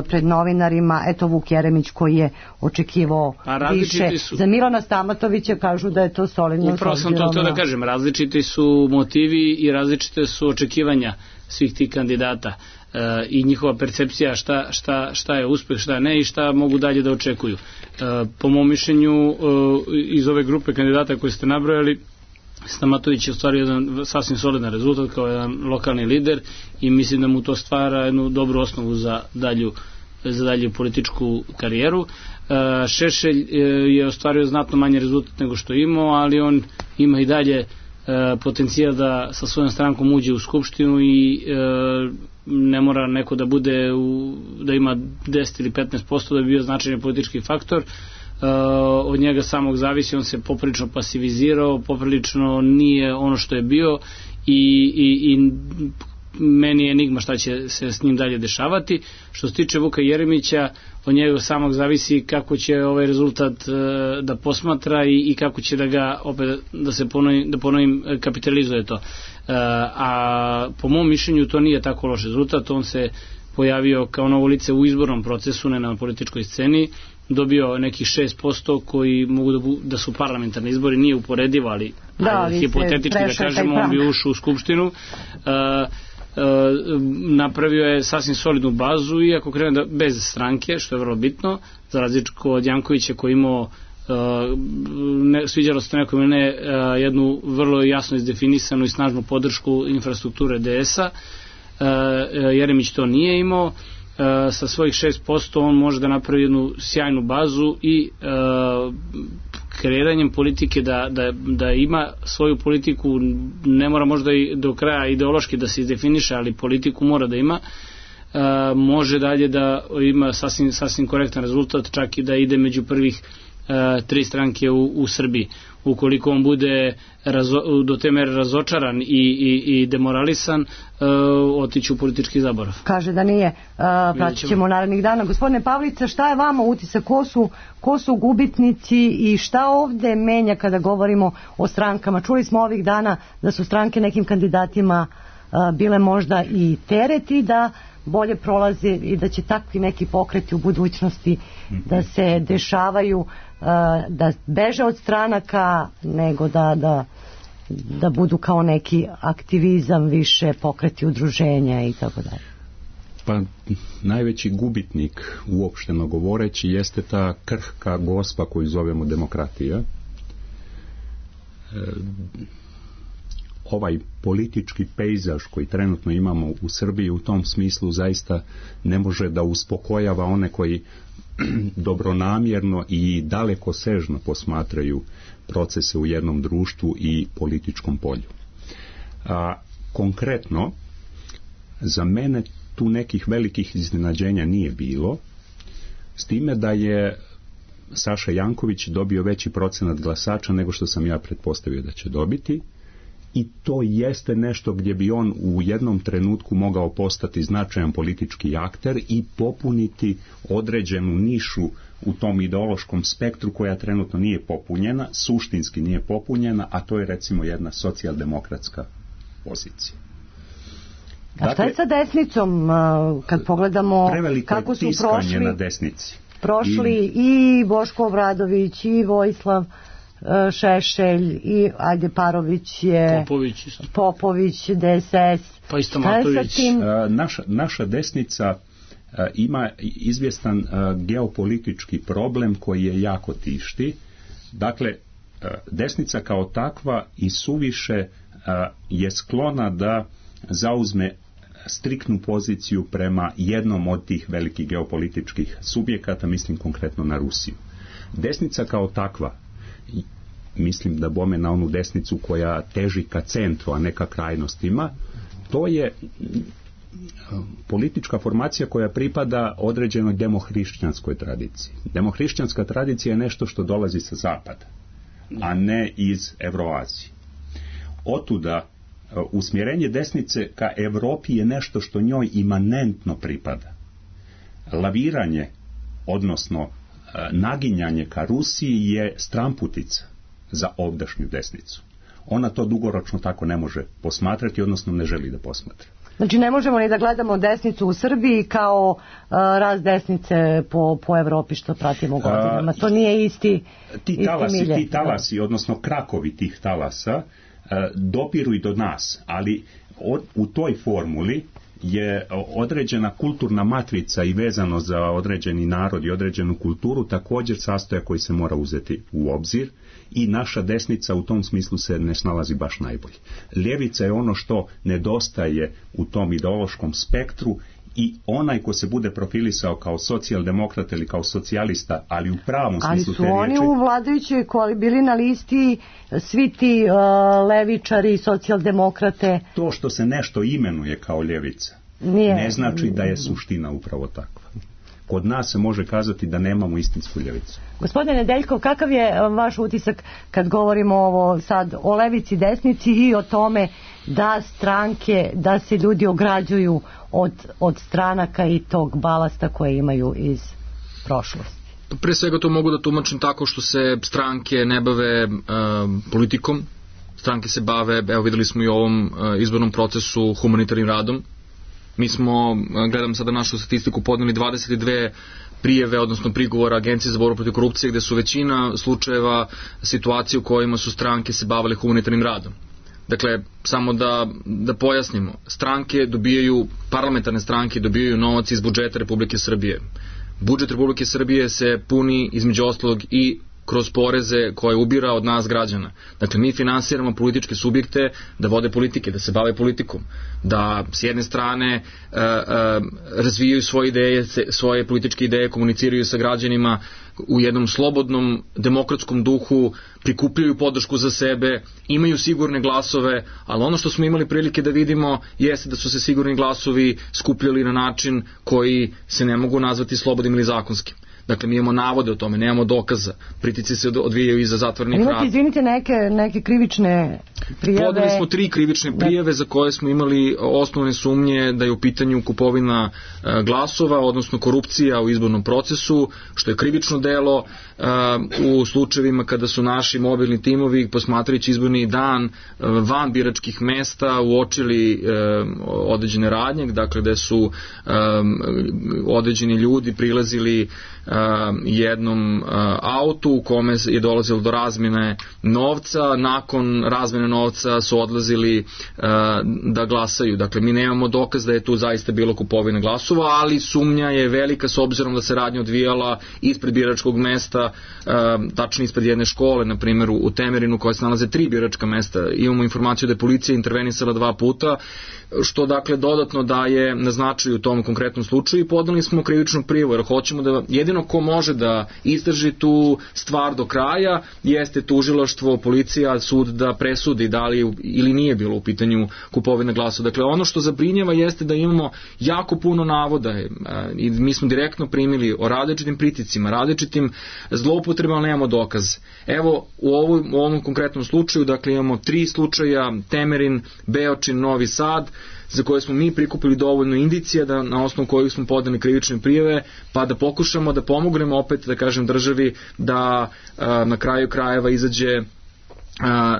pred novinarima, eto Vuk Jeremić koji je očekivao više. Za Milana Stamatovića kažu da je to solidno. Upravo sam to da kažem, različiti su motivi i različite su očekivanja svih tih kandidata i njihova percepcija šta je uspeh, šta ne i šta mogu dalje da očekuju. Po mom mišljenju iz ove grupe kandidata koje ste nabrojali, Stamatović je ostvario jedan sasvim solidan rezultat kao jedan lokalni lider i mislim da mu to stvara jednu dobru osnovu za dalju političku karijeru. Šešelj je ostvario znatno manje rezultat nego što je imao, ali on ima i dalje potencijal da sa svojom strankom uđe u skupštinu i ne mora neko da bude da ima 10 ili 15% da bi bio značajan politički faktor. Od njega samog zavisi, on se poprilično pasivizirao, poprilično nije ono što je bio i meni je enigma šta će se s njim dalje dešavati. Što se tiče Vuka Jeremića, od njega samog zavisi kako će ovaj rezultat da posmatra i kako će da ga opet da ponovim kapitalizuje to. A po mom mišljenju to nije tako loš rezultat, on se pojavio kao novo lice u izbornom procesu, ne na političkoj sceni, dobio nekih 6% koji mogu da su parlamentarni izbori, nije uporedivo, ali hipotetički da kažemo, on bi ušao u skupštinu. Napravio je sasvim solidnu bazu i ako krene bez stranke, što je vrlo bitno, za razliku od Jankovića koji imao sviđalo se nekom ili ne jednu vrlo jasno izdefinisanu i snažnu podršku infrastrukture DS-a. Jeremić to nije imao. Sa svojih 6% on može da napravi jednu sjajnu bazu i kreiranjem politike da ima svoju politiku, ne mora možda i do kraja ideološki da se izdefiniše, ali politiku mora da ima, može dalje da ima sasvim korektan rezultat, čak i da ide među prvih 3 stranke u Srbiji. Ukoliko on bude do te mere razočaran i demoralisan, otići u politički zaborav. Kaže da nije. Pratit ćemo narednih dana. Gospodine Pavlica, šta je vama utisak? Ko su gubitnici i šta ovde menja kada govorimo o strankama? Čuli smo ovih dana da su stranke nekim kandidatima bile možda i tereti da bolje prolaze i da će takvi neki pokreti u budućnosti da se dešavaju, da beže od stranaka nego da budu kao neki aktivizam, više pokreti udruženja i tako dalje. Pa najveći gubitnik, uopšteno govoreći, jeste ta krhka gospa koju zovemo demokratija. Ovaj politički pejzaž koji trenutno imamo u Srbiji u tom smislu zaista ne može da uspokojava one koji dobronamjerno i dalekosežno posmatraju procese u jednom društvu i političkom polju. Konkretno, za mene tu nekih velikih iznenađenja nije bilo, s time da je Saša Janković dobio veći procenat glasača nego što sam ja pretpostavio da će dobiti, i to jeste nešto gdje bi on u jednom trenutku mogao postati značajan politički akter i popuniti određenu nišu u tom ideološkom spektru koja trenutno nije popunjena, suštinski nije popunjena, a to je recimo jedna socijaldemokratska pozicija. A šta je sa desnicom, kad pogledamo kako su na desnici. Prošli i Boško Obradović i Vojislav Šešelj i ajde Parović je Popović DSS, pa isto Matović. Naša desnica ima izvjestan geopolitički problem koji je jako tišti. Dakle, desnica kao takva i suviše je sklona da zauzme striktnu poziciju prema jednom od tih velikih geopolitičkih subjekata, mislim konkretno na Rusiju. Desnica kao takva, mislim da bome na onu desnicu koja teži ka centru, a ne ka krajnostima, to je politička formacija koja pripada određenoj demohrišćanskoj tradiciji. Demohrišćanska tradicija je nešto što dolazi sa zapada, a ne iz Evroazije. Otuda usmjerenje desnice ka Europi je nešto što njoj imanentno pripada. Laviranje, odnosno naginjanje ka Rusiji je stramputica za ovdašnju desnicu. Ona to dugoročno tako ne može posmatrati, odnosno ne želi da posmatra. Znači ne možemo ni da gledamo desnicu u Srbiji kao raz desnice po Evropi što pratimo godinama. To nije isti milje. Ti talasi, odnosno krakovi tih talasa, dopiru i do nas, ali u toj formuli je određena kulturna matrica i vezano za određeni narod i određenu kulturu također sastojak koji se mora uzeti u obzir i naša desnica u tom smislu se ne snalazi baš najbolje. Ljevica je ono što nedostaje u tom ideološkom spektru i onaj ko se bude profilisao kao socijaldemokrat ili kao socijalista, ali u pravom smislu te riječi... Ali su oni u vladajućoj bili na listi svi ti levičari, socijaldemokrate... To što se nešto imenuje kao ljevica ne znači da je suština upravo takva. Kod nas se može kazati da nemamo istinsku ljevicu. Gospodine Nedeljkov, kakav je vaš utisak kad govorimo ovo sad o levici, desnici i o tome da stranke, da se ljudi ograđuju od stranaka i tog balasta koje imaju iz prošlosti? Pre svega to mogu da tumačim tako što se stranke ne bave politikom. Stranke se bave, evo videli smo i u ovom izbornom procesu, humanitarnim radom. Mi smo, gledam sada našu statistiku, podneli 22 prijeve, odnosno prigovora Agencije za borbu protiv korupcije, gde su većina slučajeva situacije u kojima su stranke se bavile humanitarnim radom. Dakle, samo da pojasnimo, parlamentarne stranke dobijaju novac iz budžeta Republike Srbije. Budžet Republike Srbije se puni između ostalog i kroz poreze koje ubira od nas građana. Dakle, mi finansiramo političke subjekte da vode politike, da se bave politikom, da s jedne strane razvijaju svoje ideje, svoje političke ideje, komuniciraju sa građanima u jednom slobodnom, demokratskom duhu, prikupljaju podršku za sebe, imaju sigurne glasove, ali ono što smo imali prilike da vidimo jeste da su se sigurni glasovi skupljali na način koji se ne mogu nazvati slobodnim ili zakonskim. Dakle, mi imamo navode o tome, nemamo dokaza. Pritici se odvijaju iza zatvornih vrata. Imate, izvinite, neke krivične prijave? Podali smo 3 krivične prijave za koje smo imali osnovne sumnje da je u pitanju kupovina glasova, odnosno korupcija u izbornom procesu, što je krivično delo u slučajevima kada su naši mobilni timovi, posmatrajući izborni dan van biračkih mesta, uočili određene radnje, dakle gde su određeni ljudi prilazili jednom autu u kome je dolazilo do razmjene novca, nakon razmjene novca su odlazili da glasaju. Dakle, mi nemamo dokaz da je tu zaista bilo kupovine glasova, ali sumnja je velika s obzirom da se radnja odvijala ispred biračkog mesta, tačnije ispred jedne škole, na primjer u Temerinu, koja se nalaze 3 biračka mesta. Imamo informaciju da je policija intervenisala 2 puta, što dakle dodatno daje na značaju u tom konkretnom slučaju i podali smo krivičnu prijavu, jer hoćemo da jedino ko može da istraži tu stvar do kraja jeste tužilaštvo, policija, sud da presudi navodi da li ili nije bilo u pitanju kupovina glasova. Dakle, ono što zabrinjava jeste da imamo jako puno navoda i mi smo direktno primili o različitim pritiscima, različitim zloupotrebama, nemamo dokaz. Evo, u ovom konkretnom slučaju, dakle, imamo 3 slučaja, Temerin, Beočin, Novi Sad, za koje smo mi prikupili dovoljno indicija da na osnovu kojih smo podali krivične prijave, pa da pokušamo da pomognemo opet, da kažem, državi da na kraju krajeva izađe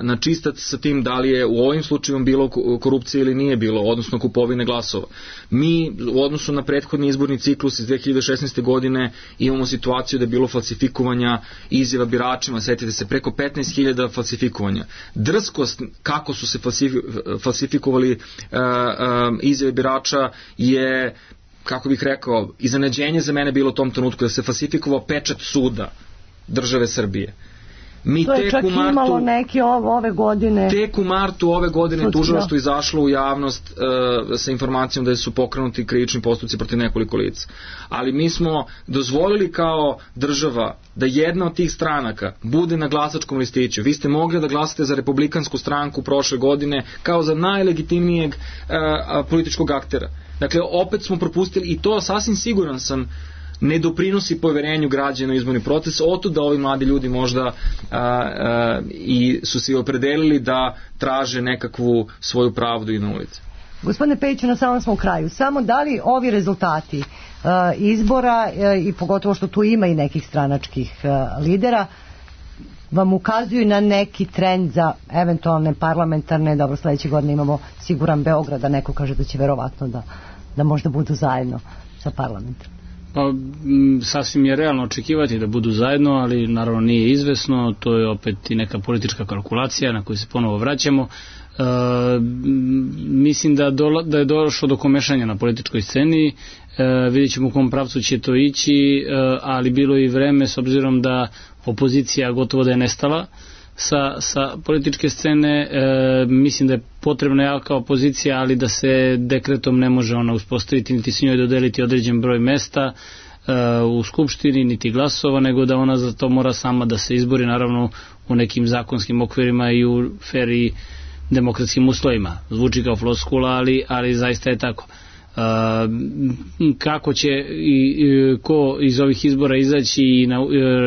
na čistac sa tim da li je u ovim slučajima bilo korupcije ili nije bilo, odnosno kupovine glasova. Mi u odnosu na prethodni izborni ciklus iz 2016. godine imamo situaciju da je bilo falsifikovanja izjava biračima, setite se, preko 15.000 falsifikovanja. Drskost kako su se falsifikovali izjave birača je, kako bih rekao, iznenađenje za mene bilo u tom trenutku da se falsifikovao pečat suda države Srbije. To je čak imalo neke ove godine. Tek u martu ove godine tužilaštvo izašlo u javnost sa informacijom da su pokrenuti krivični postupci protiv nekoliko lica. Ali mi smo dozvolili kao država da jedna od tih stranaka bude na glasačkom listiću. Vi ste mogli da glasate za Republikansku stranku prošle godine kao za najlegitimnijeg političkog aktera. Dakle, opet smo propustili, i to sasvim siguran sam, ne doprinosi poverenju građana u izborni proces, otud da ovi mladi ljudi možda i su se opredelili da traže nekakvu svoju pravdu i na ulici. Gospodine Pejiću, na samom smo u kraju. Samo da li ovi rezultati izbora i pogotovo što tu ima i nekih stranačkih lidera vam ukazuju na neki trend za eventualne parlamentarne, dobro, sledeće godine imamo siguran Beograd, a neko kaže da će verovatno da možda budu zajedno sa parlamentom. Pa, sasvim je realno očekivati da budu zajedno, ali naravno nije izvesno, to je opet i neka politička kalkulacija na koju se ponovo vraćamo. Mislim da je došlo do komešanja na političkoj sceni, vidjet ćemo u kom pravcu će to ići, ali bilo i vreme, s obzirom da opozicija gotovo da je nestala sa političke scene, mislim da je potrebna jaka opozicija, ali da se dekretom ne može ona uspostaviti, niti s njoj dodeliti određen broj mesta u skupštini, niti glasova, nego da ona za to mora sama da se izbori, naravno u nekim zakonskim okvirima i u fer i demokratskim uslovima. Zvuči kao floskula, ali zaista je tako. Kako će i ko iz ovih izbora izaći i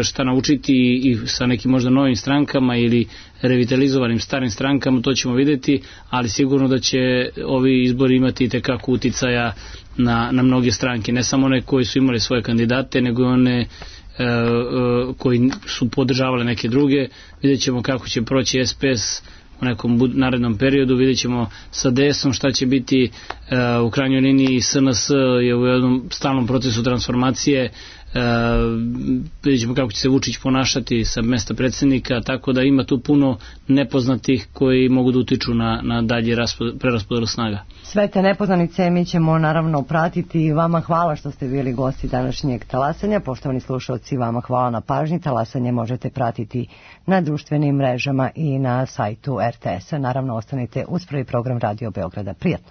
šta naučiti i sa nekim možda novim strankama ili revitalizovanim starim strankama, to ćemo vidjeti, ali sigurno da će ovi izbori imati itekako uticaja na mnoge stranke, ne samo one koji su imali svoje kandidate, nego i one koji su podržavali neke druge. Vidjet ćemo kako će proći SPS u nekom narednom periodu, vidjet ćemo sa DS-om šta će biti. U krajnjoj liniji SNS je u jednom stalnom procesu transformacije, vidjet ćemo kako će se Vučić ponašati sa mesta predsjednika, tako da ima tu puno nepoznatih koji mogu da utiču na dalje preraspodelu snaga. Sve te nepoznanice mi ćemo naravno pratiti i vama hvala što ste bili gosti današnjeg talasanja. Poštovani slušalci, vama hvala na pažnji. Talasanje možete pratiti na društvenim mrežama i na sajtu RTS-a. Naravno, ostanite uz prvi program Radio Beograda. Prijatno!